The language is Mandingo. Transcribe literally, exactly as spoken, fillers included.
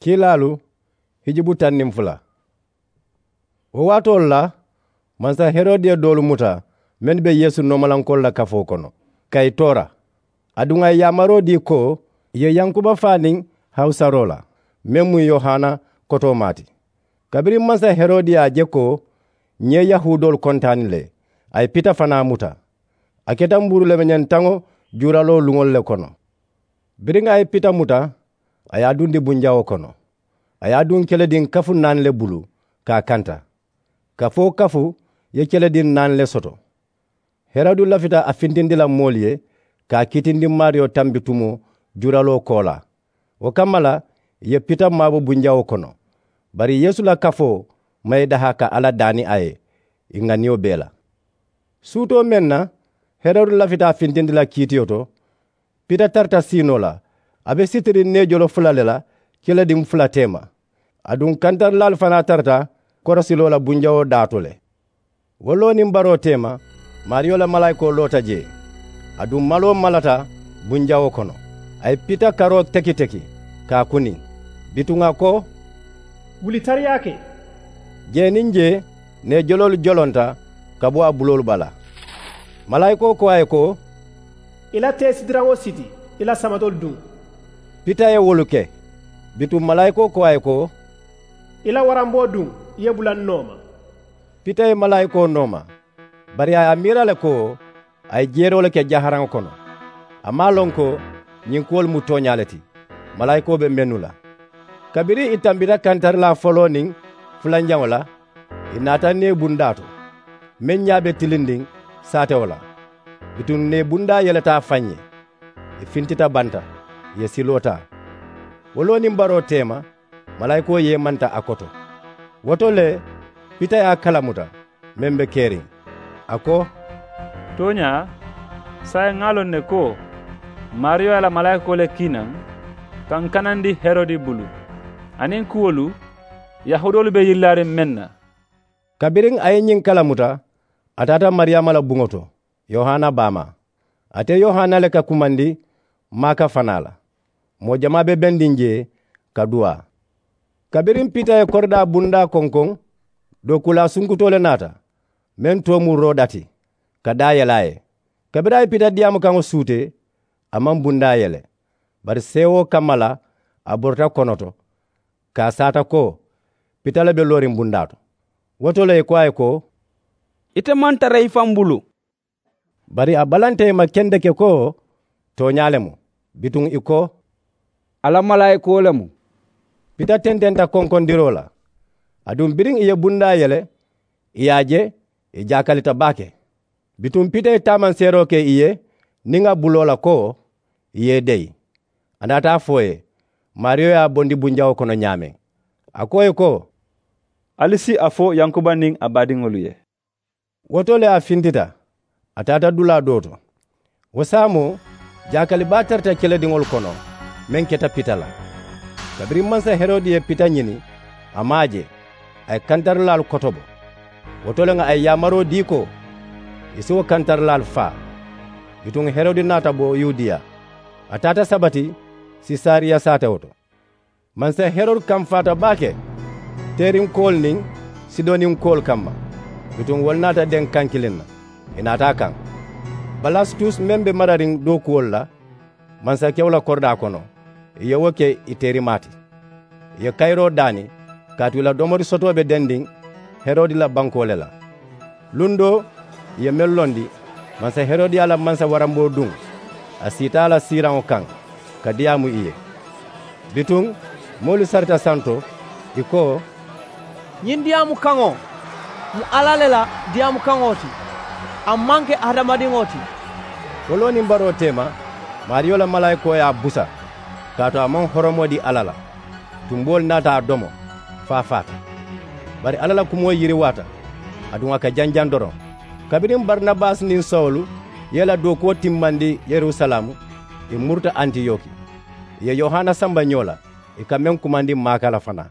Kiilaalu hijubu taŋ niŋ fula. Wo waatoolu la, mansa herode ye doolu muta mennu be yeesu noomalankoolu la kafoo kono ka ì toora. Aduŋ a ye yaamaroo dii ko ì ye yankuba faa niŋ hawusaroo la, meŋ mu yohana kotoomaa ti. Kabiriŋ mansa herode ye a je ko ñiŋ ye yahuudoolu kontaani le, a ye pita fanaa muta. A keta mbuuru lemeñantaŋo juuraloo luŋolu le kono. Biriŋ a ye pita muta, a ye a dundi bunjawoo kono. A ye a duŋ kelediŋ kafu naani le bulu ka a kanta. Kafu-wo-kafu ye kelediŋ naani le soto. Herode lafita a fintindi la moolu ye ka a kiitindi maariyo tambitumoo juuraloo koolaa. Wo kamma la ì ye pita maabo bunjawoo kono. Bari yeesu la kafoo maŋ ì daha ka alla daani a ye ì ŋaniyo bee la. Suutoo meŋ na herode lafita a fintindi la kiitiyo to, pita tarata siinoo la. A be sitiriŋ neejolo fula le la kelediŋ fula teema. Aduŋ kantarilaalu fanaa tarata korosiloo la bunjawoo daa to le. Wo loo niŋ baroo teema, maariyo la malaayikoo loota jee. Aduŋ maloo malata bunjawoo kono. A ye pita karoo teki teki ka a kuniŋ. Bituŋ a ko, wuli tariyaa ke. Jee niŋ jee neejoloolu jolonta ka bo a buloolu bala. Malaayikoo ko a ye ko, i la teesidiraŋo siti i la samatolu duŋ. Pita ye wolu ke. Bituŋ malaayikoo ko a ye ko, i la waramboo duŋ i ye bula n nooma. Pita ye malaayikoo nooma. Bari a ye a miira le ko a ye jeeroo le ke jaharaŋo kono. A maŋ a loŋ ko ñiŋ kuwolu mu tooñaa le ti malaayikoo be mennu la. Kabiriŋ ì tambita kantarilaa foloo niŋ fulanjaŋo la, ì naata neebundaa to meŋ ñaa be tilindiŋ saatewo la. Bituŋ neebundaa yeleta a faŋ ye. Ì fintita banta, ì ye siloo taa. Wo loo niŋ baroo teema malaayikoo yeemanta a koto. Wo to le pita ye a kalamuta meŋ be keriŋ. A ko, tooñaa saayiŋ ŋa a loŋ ne ko maariyo ye a la malaayikoo le kii naŋ ka ǹ kanandi herode bulu aniŋ kuwolu yahuudoolu be yirilaariŋ meŋ na. Kabiriŋ a ye ñiŋ kalamuta, a taata mariyaama la buŋo to, yohana baamaa. Ate yohana le ka kumandi maaka fanaa la. Moo jamaa be bendiŋ jee ka duwaa. Kabiriŋ pita ye koridaa bundaa konkoŋ, dookuulaa sunkutoo le naata meŋ too mu roda ti, ka daa yele a ye. Kabiriŋ a ye pita diyaamukaŋo suutee, a maŋ bundaa yele. Bari seewoo kamma la a borita konoto, ka a saata ko pita le be looriŋ bundaa to. Wo to le ì ko a ye ko, ite maŋ tara i faŋ bulu. Bari a balanta ì ma kendeke ko tooñaa le mu. Bituŋ ì ko, alla malaayikoo le mu. Pita tententa konkondiroo la. Aduŋ biriŋ ì ye bundaa yele, ì ye a je ì jaakalita baake. Bituŋ pita ye taamanseeroo ke ì ye niŋ a buloo la ko ì ye ì deyi. A naata a fo ì ye maariyo ye a bondi bunjawoo kono ñaameŋ. A ko ì ye ko, ali si a fo yankuba niŋ a baadiŋolu ye. Wo to le a fintita, a taata dulaa doo to. Wo saamoo jaakali baa tarata kelediŋolu kono meŋ keta pita la. Kabiriŋ mansa herode ye pita ñini, a maŋ a je. A ye kantarilaalu kotobo. Wo to le ŋa a ye yaamaroo dii ko ì si wo kantarilaalu faa. Bituŋ herode naata bo yudiya, a taata sabati sesariya saatewo to. Mansa herode kamfaata baake teerinkoolu niŋ sidoninkoolu kamma. Bituŋ wolu naata deŋ kaŋ kiliŋ na, ì naata a kaŋ. Balastus meŋ be marariŋ dookuwolu la mansakewo la koridaa kono, ì ye wo ke ì teerimaa ti. Ì ye kayiroo daani kaatu ì la domori sotoo be dendiŋ herode la bankoo le la. Luŋ doo ì ye meŋ londi, mansa herodiya la mansa waramboo duŋ, a siita a la siiraŋo kaŋ ka diyaamu ì ye. Bituŋ moolu sarita santo, ì ko, ñiŋ diyaamukaŋo mu alla le la diyaamukaŋo ti. A maŋ ke hadamadiŋo ti. Foloo niŋ baroo teema, maariyo la malaayikoo ye a busa, kaatu a maŋ horomoo dii alla la. Tumboolu naata a domo fo a faata. Bari alla la kumoo yiriwaata, aduŋ a ka janjaŋ doroŋ. Kabiriŋ barinabasi niŋ sawulu ye ì la dookuwo timmandi yerusalaamu, ì muruta antiyoki. Ì ye yohana samba ñoo la, ì ka meŋ kumandi maaka la fanaa.